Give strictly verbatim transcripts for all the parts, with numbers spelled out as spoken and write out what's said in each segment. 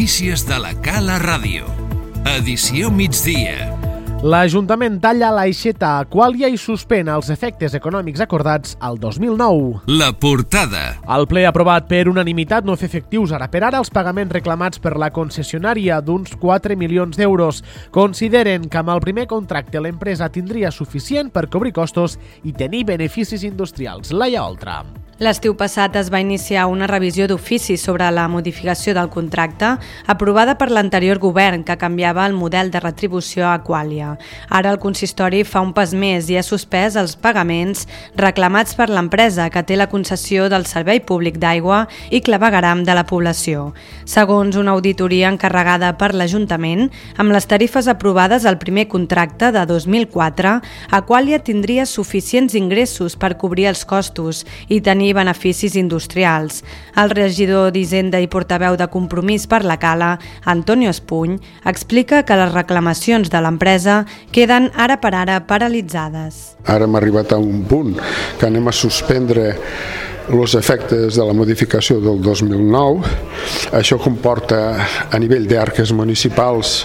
Notícies de la Cala Ràdio. Edició migdia. L'Ajuntament talla l'aixeta a Aqualia i suspèn els efectes econòmics acordats al dos mil nou. La portada. El ple aprovat per unanimitat no fer efectius ara per ara els pagaments reclamats per la concessionària d'uns quatre milions d'euros. Consideren que amb el primer contracte l'empresa tindria suficient per cobrir costos i tenir beneficis industrials. Laia Oltra. L'estiu passat es va iniciar una revisió d'ofici sobre la modificació del contracte aprovada per l'anterior govern que canviava el model de retribució a Aqualia. Ara el consistori fa un pas més i ha suspès els pagaments reclamats per l'empresa que té la concessió del servei públic d'aigua i clavegueram de la població. Segons una auditoria encarregada per l'Ajuntament, amb les tarifes aprovades al primer contracte de dos mil quatre, Aqualia tindria suficients ingressos per cobrir els costos i tenir beneficis industrials. El regidor d'Hisenda i portaveu de Compromís per la Cala, Antonio Espuny, explica que les reclamacions de l'empresa queden ara per ara paralitzades. Ara hem arribat a un punt que anem a suspendre els efectes de la modificació del dos mil nou. Això comporta a nivell d'arques municipals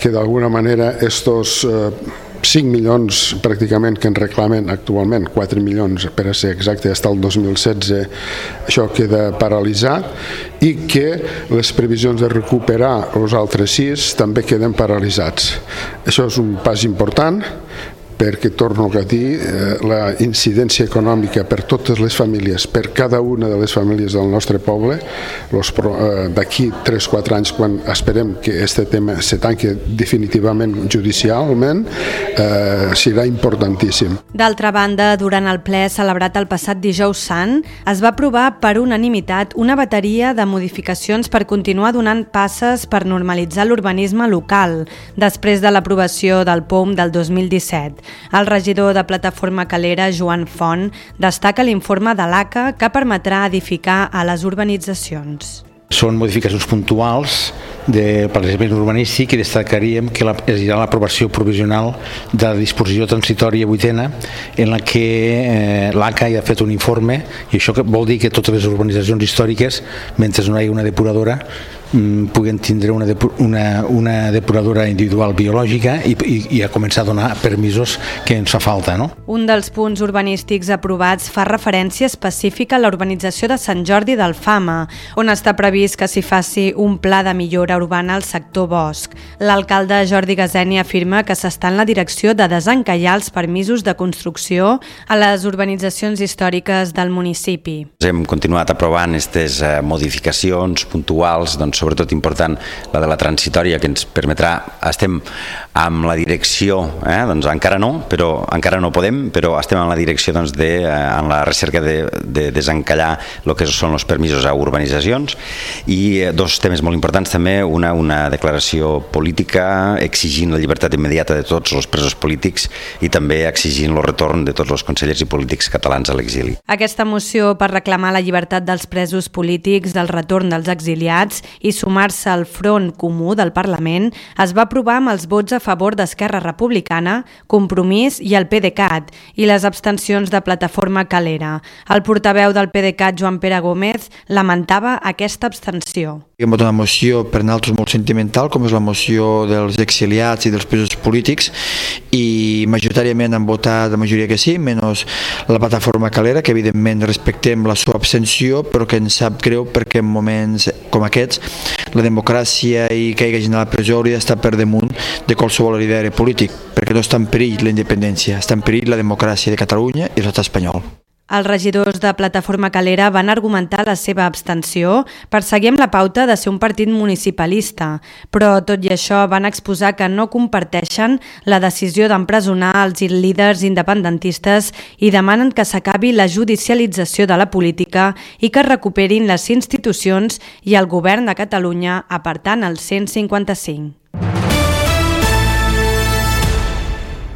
que d'alguna manera estos eh, cinc milions pràcticament que en reclamen actualment, quatre milions per a ser exacte, fins al dos mil setze, això queda paralitzat i que les previsions de recuperar els altres sis també queden paralitzats. Això és un pas important perquè, torno a dir, la incidència econòmica per totes les famílies, per cada una de les famílies del nostre poble, d'aquí tres o quatre anys, quan esperem que aquest tema se tanqui definitivament judicialment, eh, serà importantíssim. D'altra banda, durant el ple celebrat el passat dijous sant, es va aprovar per unanimitat una bateria de modificacions per continuar donant passes per normalitzar l'urbanisme local, després de l'aprovació del P O M del dos mil disset. El regidor de Plataforma Calera, Joan Font, destaca l'informe de l'A C A que permetrà edificar a les urbanitzacions. Són modificacions puntuals del planejament urbanístic i destacaríem que hi ha l'aprovació provisional de la disposició transitòria vuitena en la que eh, l'A C A ja ha fet un informe, i això vol dir que totes les urbanitzacions històriques, mentre no hi hagi una depuradora, puguen tindre una, depu una, una depuradora individual biològica i, i, i a començar a donar permisos que ens fa falta, no? Un dels punts urbanístics aprovats fa referència específica a la urbanització de Sant Jordi d'Alfama, on està previst que s'hi faci un pla de millora urbana al sector bosc. L'alcalde Jordi Gaseni afirma que s'està en la direcció de desencallar els permisos de construcció a les urbanitzacions històriques del municipi. Hem continuat aprovant aquestes modificacions puntuals, doncs sobretot important la de la transitòria, que ens permetrà, estem amb la direcció, eh, doncs encara no, però encara no podem, però estem en la direcció doncs, de, en la recerca de, de desencallar el que són els permisos a urbanitzacions, i dos temes molt importants també, una, una declaració política exigint la llibertat immediata de tots els presos polítics i també exigint el retorn de tots els consellers i polítics catalans a l'exili. Aquesta moció per reclamar la llibertat dels presos polítics, del retorn dels exiliats i sumar-se al Front Comú del Parlament es va aprovar amb els vots a favor d'Esquerra Republicana, Compromís i el PDeCAT i les abstencions de Plataforma Calera. El portaveu del PDeCAT, Joan Pere Gómez, lamentava aquesta abstenció. Hem votat una moció per nosaltres molt sentimental, com és la moció dels exiliats i dels presos polítics, i majoritàriament han votat la majoria que sí, menys la Plataforma Calera, que evidentment respectem la seva abstenció, però que ens sap greu perquè en moments com aquests la democràcia i que hi hagi gent a la presó hauria d'estar per damunt de qualsevol lideri polític, perquè no està en perill la independència, està en perill la democràcia de Catalunya i l'estat espanyol. Els regidors de Plataforma Calera van argumentar la seva abstenció per seguir amb la pauta de ser un partit municipalista, però tot i això van exposar que no comparteixen la decisió d'empresonar els líders independentistes i demanen que s'acabi la judicialització de la política i que recuperin les institucions i el govern de Catalunya apartant el cent cinquanta-cinc.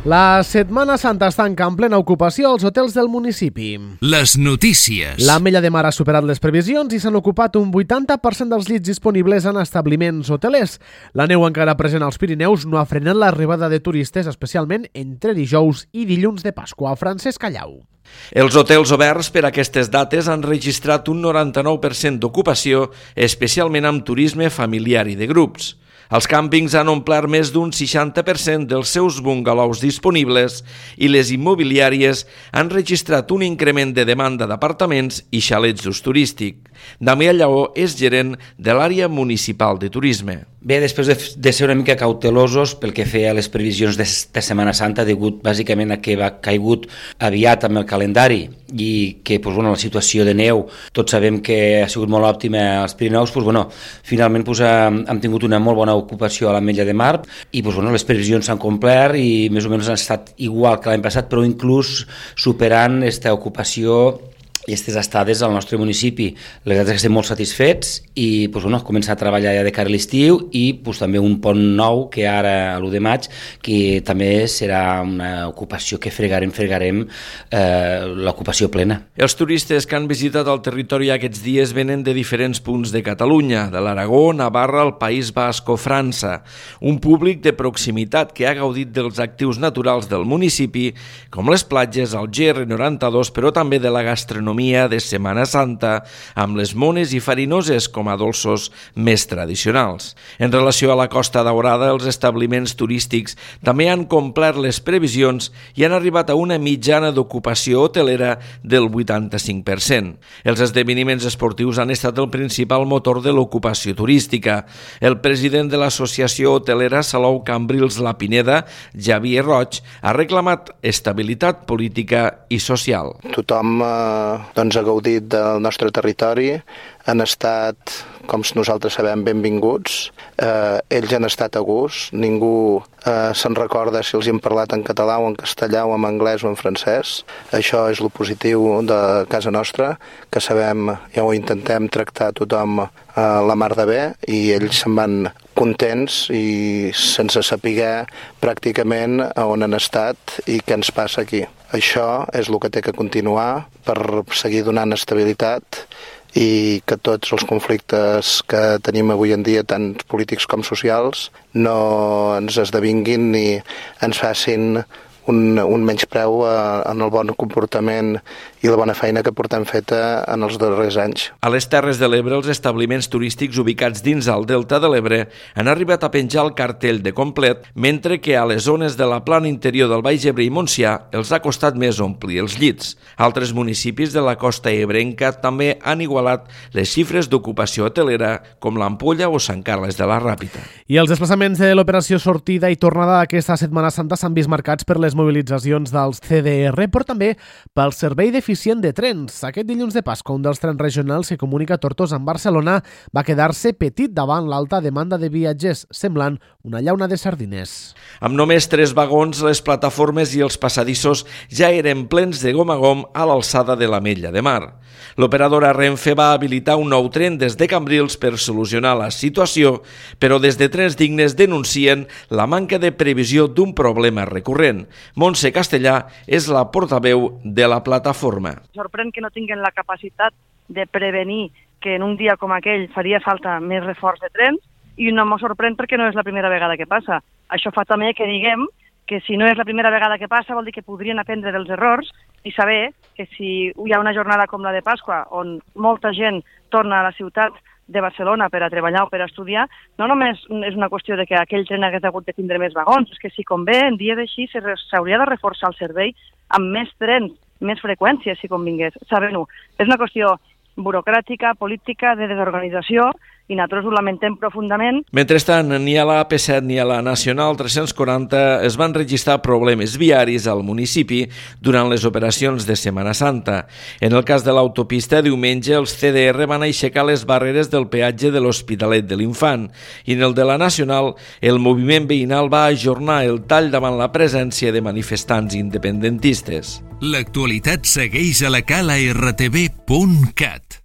La Setmana Santa està en plena ocupació als hotels del municipi. Les notícies. L'Ametlla de Mar ha superat les previsions i s'han ocupat un vuitanta per cent dels llits disponibles en establiments hotelers. La neu encara present als Pirineus no ha frenat l'arribada de turistes, especialment entre dijous i dilluns de Pasqua. Francesc Callau. Els hotels oberts per a aquestes dates han registrat un noranta-nou per cent d'ocupació, especialment amb turisme familiar i de grups. Els càmpings han omplert més d'un seixanta per cent dels seus bungalows disponibles i les immobiliàries han registrat un increment de demanda d'apartaments i xalets d'ús turístic. Damià Lleó és gerent de l'àrea municipal de turisme. Bé, després de, de ser una mica cautelosos pel que feia a les previsions de, de Setmana Santa, degut bàsicament a que va caigut aviat amb el calendari i que pues, bueno, la situació de neu, tots sabem que ha sigut molt òptima als Pirineus, pues, bueno, finalment pues, hem, hem tingut una molt bona ocupació a l'Ametlla de Mar i pues, bueno, les previsions s'han complert i més o menys han estat igual que l'any passat, però inclús superant aquesta ocupació i aquestes estades al nostre municipi. La veritat és que estem molt satisfets i pues, bueno, començar a treballar ja de cara a l'estiu i pues, també un pont nou que ara a l'u de maig, que també serà una ocupació que fregarem, fregarem eh, l'ocupació plena. Els turistes que han visitat el territori aquests dies venen de diferents punts de Catalunya, de l'Aragó, Navarra, el País Basc o França. Un públic de proximitat que ha gaudit dels actius naturals del municipi, com les platges, el G R noranta-dos, però també de la gastronomia de Setmana Santa, amb les mones i farinoses com a dolços més tradicionals. En relació a la Costa Daurada, els establiments turístics també han complert les previsions i han arribat a una mitjana d'ocupació hotelera del vuitanta-cinc per cent. Els esdeveniments esportius han estat el principal motor de l'ocupació turística. El president de l'Associació Hotelera Salou Cambrils La Pineda, Javier Roig, ha reclamat estabilitat política i social. Tothom eh, doncs, ha gaudit del nostre territori, han estat, com nosaltres sabem, benvinguts. Eh, ells han estat a gust, ningú eh, se'n recorda si els hem parlat en català o en castellà o en anglès o en francès. Això és lo positiu de casa nostra, que sabem, ja ho intentem tractar tothom eh, la mar de bé i ells se'n van contents i sense saber pràcticament on han estat i què ens passa aquí. Això és el que té que continuar per seguir donant estabilitat i que tots els conflictes que tenim avui en dia, tant polítics com socials, no ens esdevinguin ni ens facin un, un menyspreu en el bon comportament i la bona feina que portem feta en els darrers anys. A les Terres de l'Ebre, els establiments turístics ubicats dins el Delta de l'Ebre han arribat a penjar el cartell de complet, mentre que a les zones de la plana interior del Baix Ebre i Montsià els ha costat més omplir els llits. Altres municipis de la costa ebrenca també han igualat les xifres d'ocupació hotelera, com l'Ampolla o Sant Carles de la Ràpita. I els desplaçaments de l'operació sortida i tornada d'aquesta Setmana Santa s'han vist marcats per les mobilitzacions dels C D R, però també pel servei deficient de trens. Aquest dilluns de Pasqua, un dels trens regionals que comunica Tortosa amb Barcelona va quedar-se petit davant l'alta demanda de viatgers, semblant una llauna de sardines. Amb només tres vagons, les plataformes i els passadissos ja eren plens de gom a gom a l'alçada de l'Ametlla de Mar. L'operadora Renfe va habilitar un nou tren des de Cambrils per solucionar la situació, però des de Trens Dignes denuncien la manca de previsió d'un problema recurrent. Montse Castellà és la portaveu de la plataforma. Sorprèn que no tinguin la capacitat de prevenir que en un dia com aquell faria falta més reforç de trens i no m'ho sorprèn perquè no és la primera vegada que passa. Això fa també que diguem que si no és la primera vegada que passa vol dir que podrien aprendre dels errors i saber que si hi ha una jornada com la de Pasqua on molta gent torna a la ciutat de Barcelona per a treballar o per a estudiar, no només és una qüestió de que aquell tren hagués hagut de tindre més vagons, és que si convé, en dies així s'hauria de reforçar el servei amb més trens, més freqüències, si convingués, sabent-ho. És una qüestió burocràtica, política, de desorganització, i nosaltres ho lamentem profundament. Mentrestant, ni a la A P set ni a la Nacional tres-cents quaranta es van registrar problemes viaris al municipi durant les operacions de Setmana Santa. En el cas de l'autopista, diumenge els C D R van aixecar les barreres del peatge de l'Hospitalet de l'Infant i en el de la Nacional el moviment veïnal va ajornar el tall davant la presència de manifestants independentistes. L'actualitat segueix a la cala r t v punt cat.